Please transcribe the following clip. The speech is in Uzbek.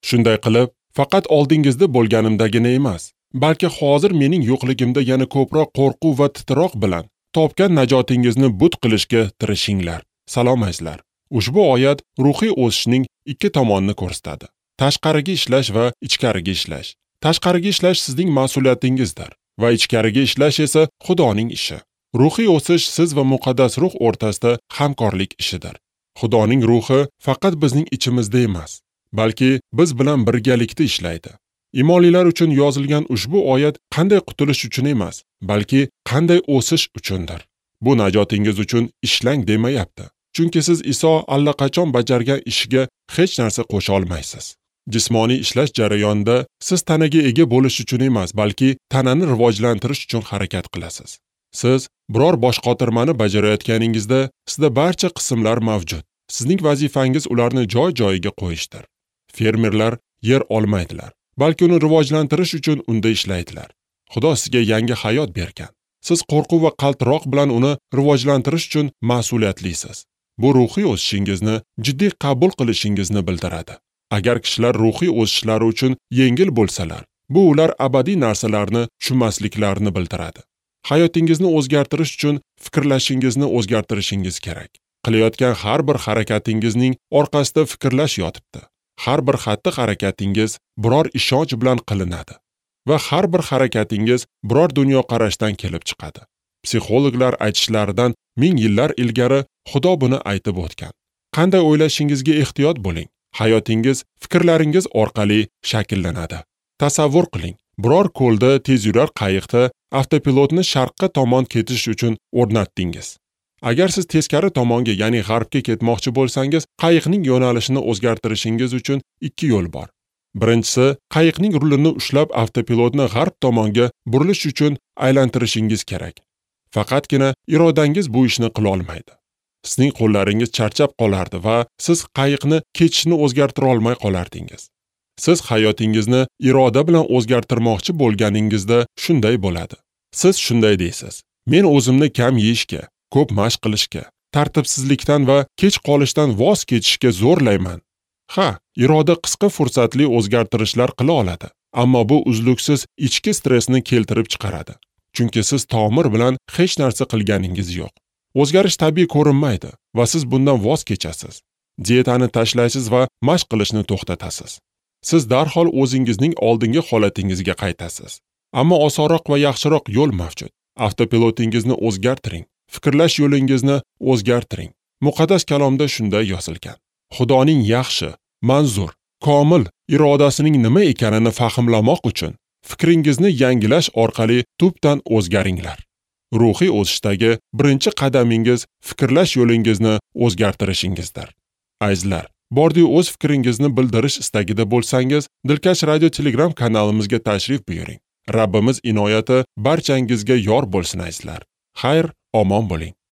Shunday qilib, faqat oldingizda bo'lganimdagina emas, balki hozir mening yo'qligimda yana ko'proq qo'rquv va titroq bilan topgan najotingizni but qilishga tirishinglar. Salom azizlar. Ushbu oyat ruhiy o'sishning ikki tomonini ko'rsatadi. Tashqariga ishlash va ichkariga ishlash. Tashqariga ishlash sizning mas'uliyatingizdir va ichkariga ishlash esa Xudoning ishi. Ruhiy o'sish siz va muqaddas ruh o'rtasida hamkorlik ishidir. Xudoning ruhi faqat bizning ichimizda emas, balki biz bilan birgalikda ishlaydi. Imonlilar uchun yozilgan ushbu oyat qanday qutulish uchun emas, balki qanday o'sish uchundir. Bu najotingiz uchun ishlang demayapti. Chunki siz Iso allaqachon bajargan ishiga hech narsa qo'sha olmaysiz. Jismoniy ishlash jarayonida siz tanaga ega bo'lish uchun emas, balki tanani rivojlantirish uchun harakat qilasiz. Siz biror boshqotirmani bajarayotganingizda sizda barcha qismlar mavjud. Sizning vazifangiz ularni joy-joyiga qo'yishdir. Fermerlar yer olmaydilar, balki uni rivojlantirish uchun unda ishlaydilar. Xudo sizga yangi hayot bergan. Siz qo'rquv va qaltiroq bilan uni rivojlantirish uchun mas'uliyatlisiz. Bu ruhiy o'sishingizni jiddiy qabul qilishingizni bildiradi. Agar kishilar ruhiy o'sishlari uchun yengil bo'lsalar, bu ular abadiy narsalarni tushunmasliklarini bildiradi. Hayotingizni o'zgartirish uchun fikrlashingizni o'zgartirishingiz kerak. Qilayotgan har bir harakatingizning orqasida fikrlash yotibdi. Har bir xatti-harakatingiz biror ishonch bilan qilinadi va har bir harakatingiz biror dunyoqarashdan kelib chiqadi. Psixologlar aytishlaridan ming yillar ilgari Xudo buni aytib o'tgan. Qanday o'ylashingizga ehtiyot bo'ling. Hayotingiz fikrlaringiz orqali shakllanadi. Tasavvur qiling, biror ko'lda tezyurar qayiqda avtopilotni sharqqa tomon ketish uchun o'rnatdingiz. Agar siz teskari tomonga, ya'ni g'arbga ketmoqchi bo'lsangiz, qayiqning yo'nalishini o'zgartirishingiz uchun ikki yo'l bor. Birinchisi, qayiqning rulini ushlab avtopilotni g'arb tomonga burilish uchun aylantirishingiz kerak. Faqatgina irodangiz bu ishni qila olmaydi. Sizning qo'llaringiz charchab qolardi va siz qayiqni ketishini o'zgartira olmay qolardingiz. Siz hayotingizni iroda bilan o'zgartirmoqchi bo'lganingizda shunday bo'ladi. Siz shunday deysiz: men o'zimni kam yeyishga, ko'p mashq qilishga, tartibsizlikdan va kech qolishdan voz kechishga zo'rlayman. Ha, iroda qisqa fursatli o'zgartirishlar qila oladi, ammo bu uzluksiz ichki stressni keltirib chiqaradi. Chunki siz tomir bilan hech narsa qilganingiz yo'q. O'zgarish tabiiy ko'rinmaydi va siz bundan voz kechasiz. Dietani tashlaysiz va mashq qilishni to'xtatasiz. Siz darhol o'zingizning oldingi holatingizga qaytasiz. Ammo osonroq va yaxshiroq yo'l mavjud. Avtopilotingizni o'zgartiring. Fikrlash yo'lingizni o'zgartiring. Muqaddas kalomda shunday yozilgan: Xudoning yaxshi, manzur, komil irodasining nima ekanini fahmlamoq uchun fikringizni yangilash orqali tubdan o'zgaringlar. Ruhiy o'sishdagi birinchi qadamingiz fikrlash yo'lingizni o'zgartirishingizdir. Azizlar, bordiyu o'z fikringizni bildirish istagida bo'lsangiz, Dilkash Radio Telegram kanalimizga tashrif buyuring. Rabbimiz inoyati barchangizga yor bo'lsin azizlar. Xayr, omon bo'ling.